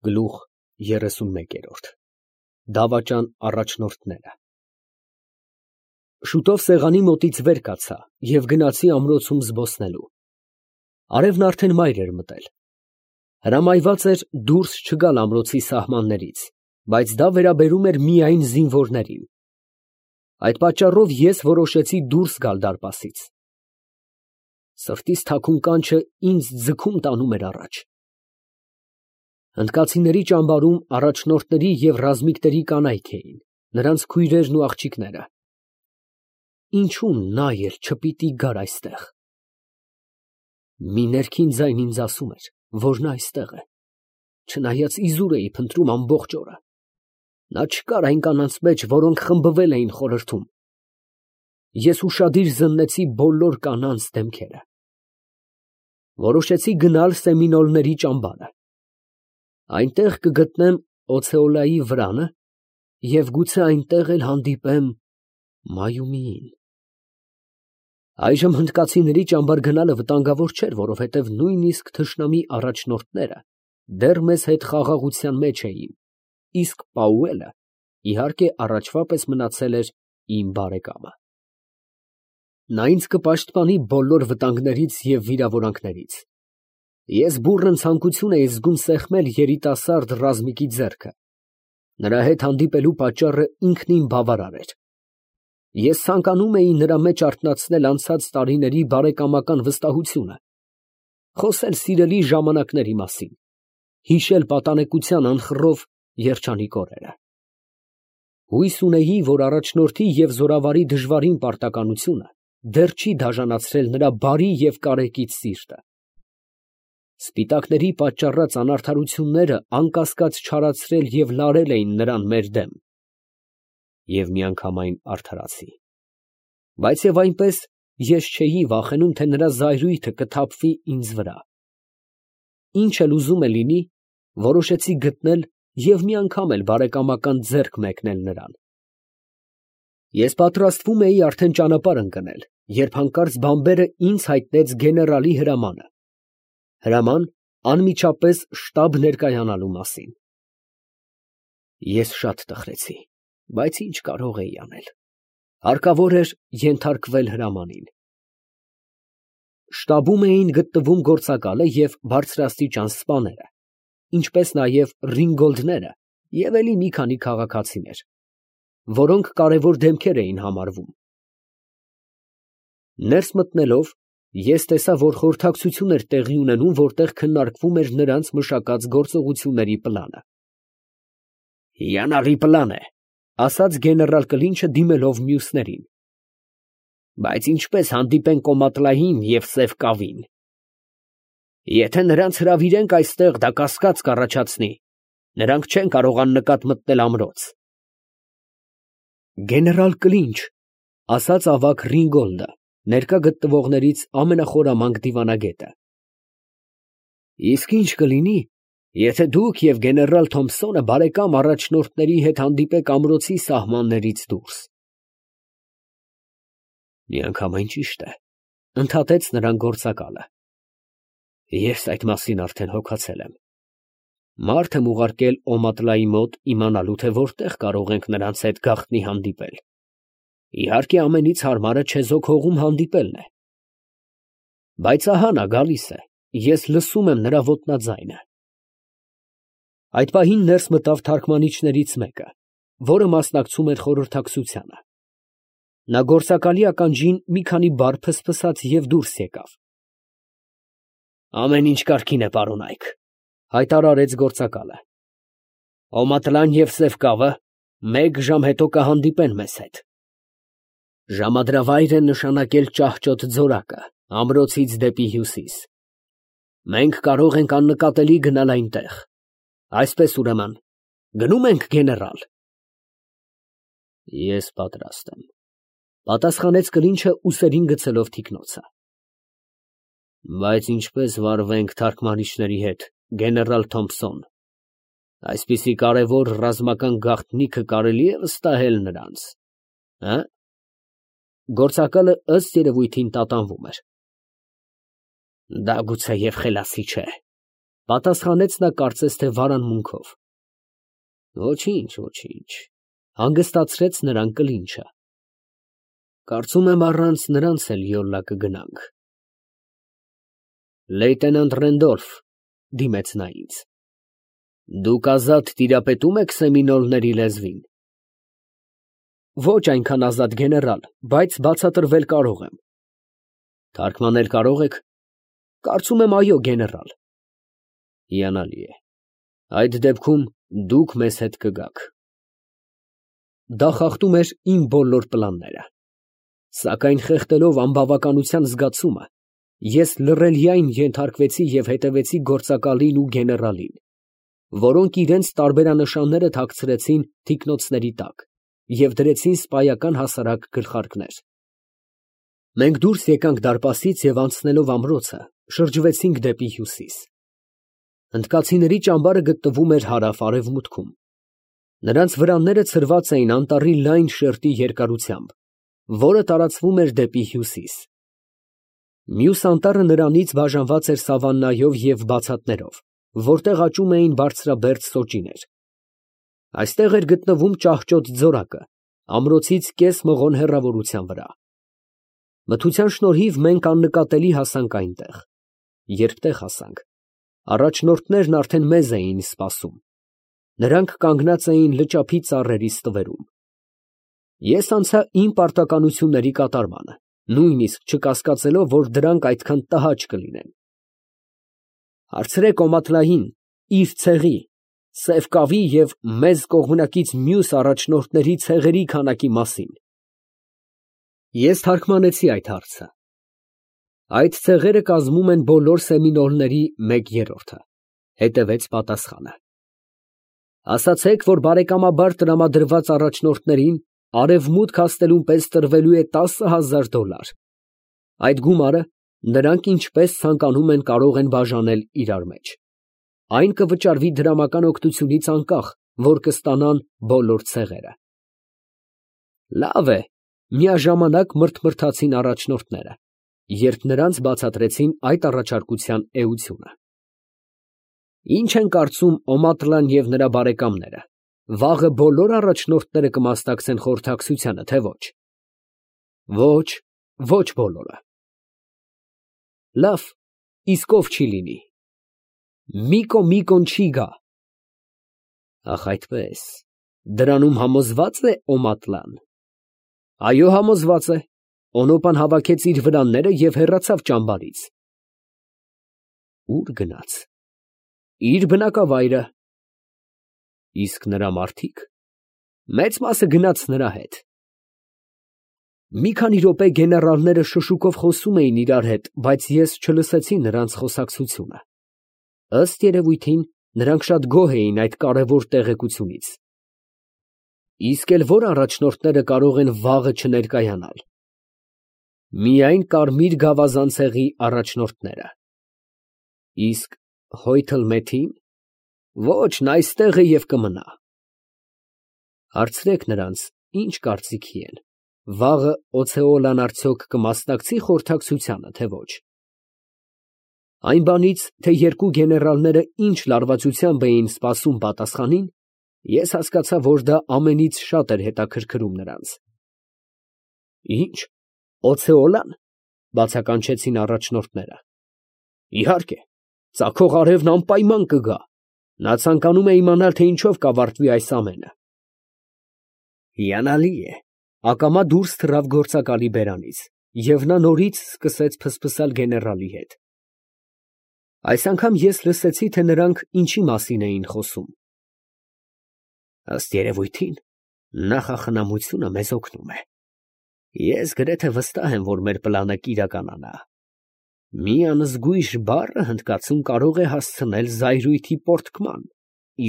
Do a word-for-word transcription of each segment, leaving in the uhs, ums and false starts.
Գլուխ երեսունմեկ։ Դավաճան առաջնորդները։ Շուտով սեղանի մոտից վեր կացա և գնացի ամրոցում զբոսնելու։ Արևն արդեն մայր էր մտել։ Հրամայված էր դուրս չգալ ամրոցի սահմաններից, բայց դա վերաբերում էր միայն զինվորներին։ Այդ պատճառով ես որոշեցի դուրս գալ դարպասից։ Սրտիս թաքուն կանչը ինձ ձգում տանում էր առաջ։ Հնդկացիների ճամբարում առաջնորդների և ռազմիկների կանայք էին, նրանց քույրերն ու աղջիկները։ Ինչու նա էլ չպիտի գար այստեղ։ Մի ներքին ձայն ինձ ասում էր, որ նա այստեղ է, չնայած իզուր էի փնտրում ամբողջ օրը։ Նա չկար այն կանանց մեջ, որոնք խմբվել էին խորհրդում։ Ես ուշադիր զննեցի բոլոր կանանց դեմքերը։ Որոշեցի գնալ Սեմինոլների ճամբարը։ Այնտեղ կգտնեմ Օցեոլայի վրանը և գուցե այնտեղ էլ հանդիպեմ Մայումիին։ Այժմ հնդկացիների ճամբար գնալը վտանգավոր չէր, որովհետև նույնիսկ թշնամի առաջնորդները դեռ մեզ հետ խաղաղության մեջ էին, իսկ Պաուելը, իհարկե, առաջվա պես մնացել էր իմ բարեկամը։ Նա ինձ կպաշտպանի բոլոր վտանգներից և վիրավորանքներից։ Ես բուռն ցանկություն էի զգում սեղմել երիտասարդ ռազմիկի ձեռքը։ Նրա հետ հանդիպելու պատճառը ինքնին բավարար էր։ Ես ցանկանում էի նրա մեջ արթնացնել անցած տարիների բարեկամական վստահությունը, խոսել սիրելի ժամանակների մասին, հիշել պատանեկության անխռով երջանիկ օրերը։ Հույս ունեի, որ առաջնորդի և զորավարի դժվարին պարտականությունը դեռ չի դաժանացրել նրա բարի և կարեկից սիրտը։ Սպիտակների պատճառած անարդարությունները անկասկած չարացրել և լարել էին նրան մեր դեմ։ Եվ միանգամայն արդարացի։ Բայց և այնպես ես չէի վախենում, թե նրա զայրույթը կթափվի ինձ վրա։ Ինչ էլ ուզում է լինի, որոշեցի գտնել և մի անգամ էլ բարեկամական ձեռք մեկնել նրան։ Ես պատրաստվում էի արդեն ճանապարհ ընկնել, երբ հանկարծ բանբերը ինձ հայտնեց գեներալի հրամանը։ Հրաման անմիջապես շտաբ ներկայանալու մասին։ Ես շատ տխրեցի, բայց ինչ կարող էի անել։ Հարկավոր էր ենթարկվել հրամանին։ Շտաբում էին գտնվում գործակալը և բարձրաստիճան սպաները, ինչպես նաև Ռինգոլդները և էլի մի քանի քաղաքացիներ, որոնք կարևոր դեմքեր էին համարվում։ Ներս մտնելով, ես տեսա, որ խորհրդակցություն էր տեղի ունենում, որտեղ քննարկվում էր նրանց մշակած գործողությունների պլանը։ «Հիանալի պլան է», ֊ ասաց գեներալ Կլինչը, դիմելով մյուսներին։ «Բայց ինչպես հանդիպենք Կոմատլային և Սև Կավին։ Եթե նրանց հրավիրենք այստեղ, դա կասկած կառաջացնի, նրանք չեն կարող աննկատ մտնել ամրոց»։ «Գեներալ Կլինչ», ֊ ասաց ավագ Ռինգոլդը, ներկա գտնվողներից ամենախորամանկ դիվանագետը։ «Իսկ ի՞նչ կլինի, եթե դուք և գեներալ Թոմփսոնը բարեկամ առաջնորդների հետ հանդիպեք ամրոցի սահմաններից դուրս»։ «Միանգամայն ճիշտ է», ֊ ընդհատեց նրան գործակալը։ «Ես այդ մասին արդեն հոգացել եմ։ Մարդ եմ ուղարկել Օմատլայի մոտ, իմանալու, թե որտեղ կարող ենք նրանց հետ գաղտնի հանդիպել։ Իհարկե, ամենից հարմարը չեզոք հողում հանդիպելն է։ Բայց ահա նա գալիս է, ես լսում եմ նրա ոտնաձայնը»։ Այդ պահին ներս մտավ թարգմանիչներից մեկը, որը մասնակցում էր խորհրդակցությանը։ Նա գործակալի ականջին մի քանի բառ ֆսֆսաց և դուրս եկավ։ «Ամեն ինչ կարգին է, պարոնայք», ֊ հայտարարեց գործակալը։ «Օմատլան և Սև Կավը մեկ ժամ հետո կհանդիպեն մեզ հետ։ Ժամադրավայր են նշանակել ճահճոտ ձորակը, ամրոցից դեպի հյուսիս։ Մենք կարող ենք աննկատելի գնալ այնտեղ։ Այսպես, ուրեմն, գնո՞ւմ ենք, գեներալ»։ «Ես պատրաստ եմ», ֊ պատասխանեց Կլինչը, ուսերին գցելով թիկնոցը։ «Բայց ինչպե՞ս վարվենք թարգմանիչների հետ, գեներալ Թոմփսոն, այսպիսի կարևոր ռազմական գաղտնիքը կարելի է վստահել նրանց, հը՞։ Գործակալը ըստ երևույթին տատանվում էր։ «Դա գուցեև խելացի չէ, Պատասխանեց նա կարծես թե վարանմունքով։ Ոչինչ, ոչինչ, հանգստացրեց նրան կլինչը։ Կարծում եմ առանց նրանց էլ յոլա կգնանք։ Լեյտենանտ Ռենդոլֆ, դիմեց նա ինձ, դուք ազատ տիրապետում եք սեմինոլների լեզվին։ Ոչ այնքան ազատ գեներալ, բայց բացատրվել կարող եմ։ Թարգմանել կարող եք։ Կարծում եմ այո, գեներալ։ Հիանալի է։ Այդ դեպքում դուք մեզ հետ կգաք։ Դա խախտում էր իմ բոլոր պլանները։ Սակայն խեղդելով անբավականության զգացումը, ես լռելիայն ենթարկվեցի և հետևեցի գործակալին ու գեներալին, որոնք իրենց տարբերանշանները թաքցրեցին թիկնոցների տակ և դրեցին սպայական հասարակ գլխարկներ։ Մենք դուրս եկանք դարպասից և անցնելով ամրոցը, շրջվեցինք դեպի հյուսիս։ Հնդկացիների ճամբարը գտնվում էր հարավ֊արևմուտքում։ Նրանց վրանները ցրված էին անտառի լայն շերտի երկարությամբ, որը տարածվում էր դեպի հյուսիս։ Մյուս անտառը նրանից բաժանված էր սավաննայով և բացատներով, որտեղ աճում էին բարձրաբերդ սոճիներ։ Այստեղ էր գտնվում ճահճոտ ձորակը, ամրոցից կես մղոն հեռավորության վրա։ Մթության շնորհիվ մենք աննկատելի հասանք այնտեղ։ Երբ տեղ հասանք, առաջնորդներն արդեն մեզ էին սպասում։ Նրանք կանգնած էին լճափի ծառերի ստվերում։ Ես անցա իմ պարտականությունների կատարմանը, նույնիսկ չկասկածելով, որ դրանք այդքան տհաճ կլինեն։ Հարցրեք Օմատլային, իր ցեղի, Սև Կավի և մեզ կողմնակից մյուս առաջնորդների ցեղերի քանակի մասին։ Ես թարգմանեցի այդ հարցը։ Այդ ցեղերը կազմում են բոլոր սեմինոլների մեկ երրորդը, հետևեց պատասխանը։ Ասացեք, որ բարեկամաբար տրամադրված առաջնորդներին արևմուտք հասնելուն պես տրվելու է տասը հազար դոլար։ Այդ գումարը նրանք ինչպես ցանկանում են կարող են բաժանել իրար մեջ։ Այն կվճարվի դրամական օգնությունից անկախ, որ կստանան բոլոր ցեղերը։ Լավ է, միաժամանակ մրթմրթացին առաջնորդները, երբ նրանց բացատրեցին այդ առաջարկության էությունը։ Ինչ են կարծում Օմատլան և նրա բարեկամները, վաղը բոլոր առաջնորդները կմասնակցեն խորհրդակցությանը, թե ոչ։ Ոչ, ոչ բոլորը։ Լավ, իսկ ով չի լինի։ Միկո Միկոն չի գա։ Ախ, այդպես, դրանում համոզվա՞ծ է Օմատլան։ Այո, համոզված է։ Օնոպան հավաքեց իր վրանները և հեռացավ ճամբարից։ Ո՞ւր գնաց։ Իր բնակավայրը։ Իսկ նրա մարդիկ։ Մեծ մասը գնաց նրա հետ։ Մի քանի րոպե գեներալները շշուկով խոսում էին իրար հետ, բայց ես չլսեցի նրանց խոսակցությունը։ Ըստ երևույթին, նրանք շատ գոհ էին այդ կարևոր տեղեկությունից։ Իսկ էլ ո՞ր առաջնորդները կարող են վաղը չներկայանալ։ Միայն Կարմիր գավազան ցեղի առաջնորդները։ Իսկ Հոյթլ Մեթին։ Ոչ, նա այստեղ է և կմնա։ Հարցրեք նրանց, ինչ կարծիքի են, վաղը Օցեոլան արդյոք կմասնակցի խորհրդակցությանը, թե ոչ։ Այն բանից, թե երկու գեներալները ինչ լարվածությամբ էին սպասում պատասխանին, ես հասկացա, որ դա ամենից շատ էր հետաքրքրում նրանց։ Ինչ, Օցեոլա՞ն, բացականչեցին առաջնորդները։ Իհարկե, ծագող արևն անպայման կգա։ Նա ցանկանում է իմանալ, թե ինչով կավարտվի այս ամենը։ Հիանալի է։ Ակամա դուրս թռավ գործակալի բերանից, և նա նորից սկսեց ֆսֆսալ գեներալի հետ։ Այս անգամ ես լսեցի, թե նրանք ինչի մասին էին խոսում։ Ըստ երևույթին, նախախնամությունը մեզ օգնում է։ Ես գրեթե վստահ եմ, որ մեր պլանը կիրականանա։ Մի անզգույշ բառը հնդկացում կարող է հասցնել զայրույթի պոռթկման,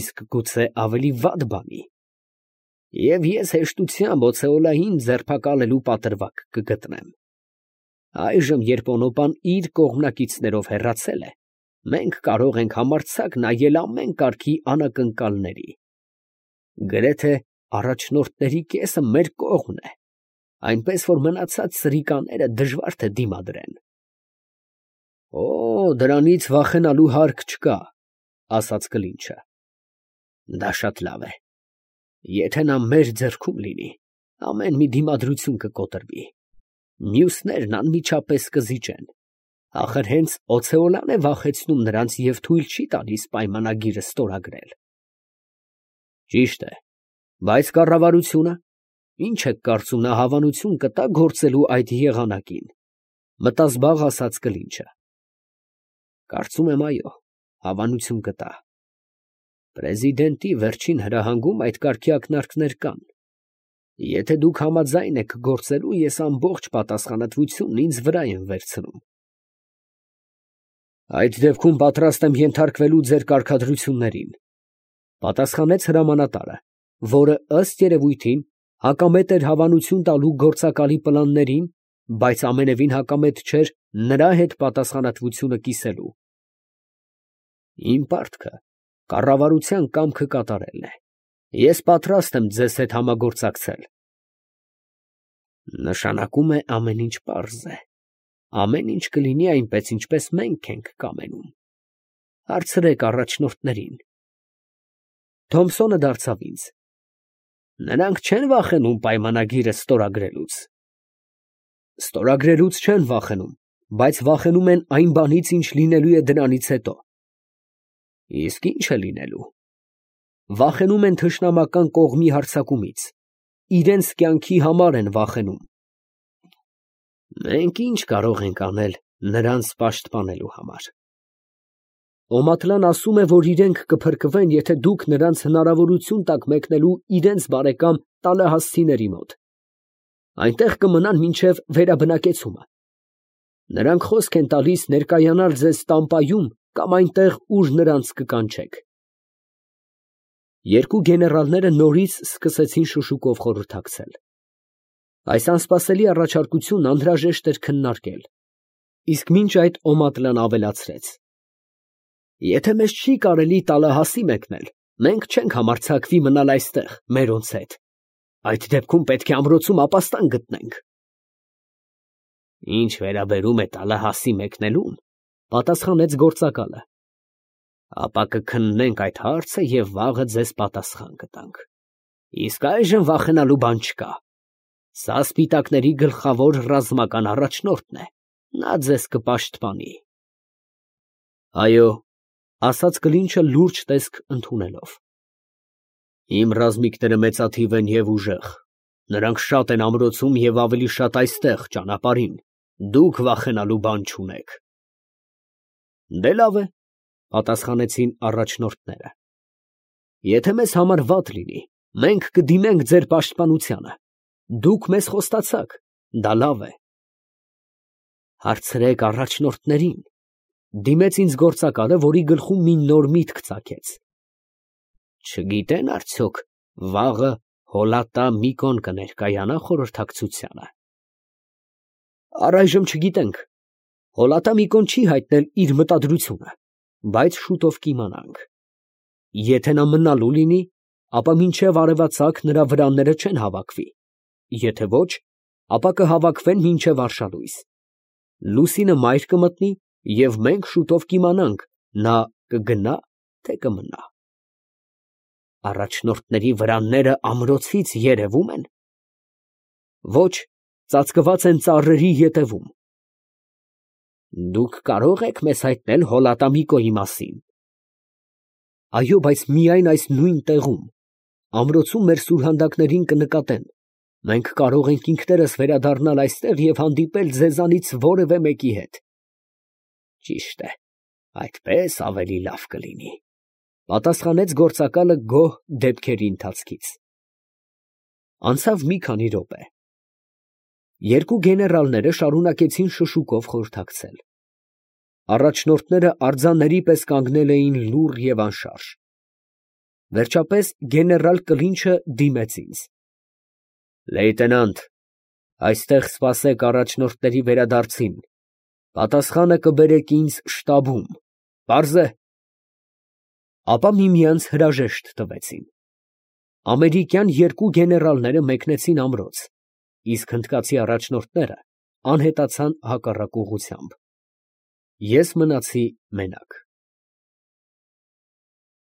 իսկ գուցե ավելի վատ բանի։ Եվ ես հեշտությամբ Օցեոլային ձերբակալելու պատրվակ կգտնեմ։ Այժմ, երբ Օնոպան իր կողմնակիցներով հեռացել է, մենք կարող ենք համարձակ նայել ամեն կարգի անակնկալների։ Գրեթե առաջնորդների կեսը մեր կողմն է, այնպես որ մնացած սրիկաները դժվար թե դիմադրեն։ Օ, դրանից վախենալու հարկ չկա, ասաց Կլինչը։ Դա շատ լավ է. եթե նա մեր ձեռքում լինի, ամեն մի դիմադրություն կկոտրվի, մյուսներն անմիջապես կզիջեն, ախր հենց Օցեոլան է վախեցնում նրանց և թույլ չի տալիս պայմանագիրը ստորագրել։ Ճիշտ է, բայց կառավարությունը, ինչ եք կարծում, նա հավանություն կտա գործելու այդ եղանակին, մտազբաղ ասաց Կլինչը։ Կարծում եմ, այո, հավանություն կտա։ Պրեզիդենտի վերջին հրահանգում այդ կարգի ակնարկներ կան։ Եթե դուք համաձայն եք գործելու, ես ամբողջ պատասխանատվությունն ինձ վրա եմ վերցնում։ Այդ դեպքում պատրաստ եմ ենթարկվելու ձեր կարգադրություններին, պատասխանեց հրամանատարը, որը ըստ երևույթին հակամետ էր հավանություն տալու գործակալի պլաններին, բայց ամենևին հակամետ չէր նրա հետ պատասխանատվությունը կիսելու։ Իմ պարտքը կառավարության կամքը կատարելն է։ Ես պատրաստ եմ ձեզ հետ համագործակցել։ Նշանակում է ամեն ինչ պարզ է։ Ամեն ինչ կլինի այնպես, ինչպես մենք ենք կամենում։ Հարցրեք առաջնորդներին։ Թոմսոնը դարձավ ինձ. նրանք չեն վախենում պայմանագիրը ստորագրելուց։ Ստորագրելուց չեն վախենում, բայց վախենում են այն բանից, ինչ լինելու է դրանից հետո։ Իսկ ի՞նչ է լինելու։ Վախենում են թշնամական կողմի հարձակումից, իրենց կյանքի համար են վախենում։ Մենք ի՞նչ կարող ենք անել նրանց պաշտպանելու համար։ Օմատլան ասում է, որ իրենք կփրկվեն, եթե դուք նրանց հնարավորություն տաք մեկնելու իրենց բարեկամ Տալեհասցիների մոտ։ Այնտեղ կմնան մինչև վերաբնակեցումը։ Նրանք խոսք են տալիս ներկայանալ ձեզ Տամպայում կամ այնտեղ, ուր նրանց կկանչեք։ Երկու գեներալները նորից սկսեցին շշուկով խորհրդակցել։ Այս անսպասելի առաջարկությունն անհրաժեշտ էր քննարկել, իսկ մինչ այդ Օմատլան ավելացրեց. Եթե մեզ չի կարելի Տալեհասի մեկնել, մենք չենք համարձակվի մնալ այստեղ մերոնց հետ։ Այդ դեպքում պետք է ամրոցում ապաստան գտնենք։ Ինչ վերաբերում է Տալեհասի մեկնելուն, պատասխանեց գործակալը, ապա կքննենք այդ հարցը և վաղը ձեզ պատասխան կտանք։ Իսկ այժմ վախենալու բան չկա։ Սա սպիտակների գլխավոր ռազմական առաջնորդն է, նա ձեզ կպաշտպանի։ Այո, ասաց Կլինչը լուրջ տեսք ընդունելով։ Իմ ռազմիկները մեծաթիվ են և ուժեղ, նրանք շատ են ամրոցում և ավելի շատ այստեղ ճանապարհին, դուք վախենալու բան չունեք։ Դե լավ է, պատասխանեցին առաջնորդները։ Եթե մեզ համար վատ լինի, մենք կդիմենք ձեր պաշտպանությանը, դուք մեզ խոստացաք, դա լավ է։ Հարցրեք առաջնորդներին, դիմեց ինձ գործակալը, որի գլխում մի նոր միտք ծագեց։ Չգիտեն արդյոք վաղը Հոլատա Միկոն կներկայանա խորհրդակցությանը։ Առայժմ չգիտենք։ Հոլատա Միկոն չի հայտնել իր մտադրությունը, բայց շուտով կիմանանք։ Եթե նա մնալու լինի, ապա մինչև արևածագ նրա վրանները չեն հավաքվի, եթե ոչ, ապա կհավաքվեն մինչև արշալույս։ Լուսինը մայր կմտնի, և մենք շուտով կիմանանք, նա կգնա, թե կմնա։ Առաջնորդների վրանները ամրոցից երևում են։ Ոչ, ծածկված են ծառերի ետևում։ Դուք կարող եք մեզ հայտնել Հոլատա Միկոյի մասին։ Այո, բայց միայն այս նույն տեղում։ Ամրոցում մեր սուրհանդակներին կնկատեն։ Մենք կարող ենք ինքներս վերադառնալ այստեղ և հանդիպել ձեզանից որևէ մեկի հետ։ Ճիշտ է, այդպես ավելի լավ կլինի, պատասխանեց գործակալը գոհ դեպքերի ընթացքից։ Անցավ մի քանի րոպե։ Երկու գեներալները շարունակեցին շշուկով խորհրդակցել։ Առաջնորդները արձանների պես կանգնել էին լուռ և անշարժ։ Վերջապես գեներալ Կլինչը դիմեց ինձ. Լեյտենանտ, այստեղ սպասեք առաջնորդների վերադարձին, պատասխանը կբերեք ինձ շտաբում, պարզ է։ Ապա միմյանց հրաժեշտ տվեցին։ Ամերիկյան երկու գեներալները մեկնեցին ամրոց, իսկ հնդկացի առաջնորդները անհետացան հակառակ ուղղությամբ։ Ես մնացի մենակ։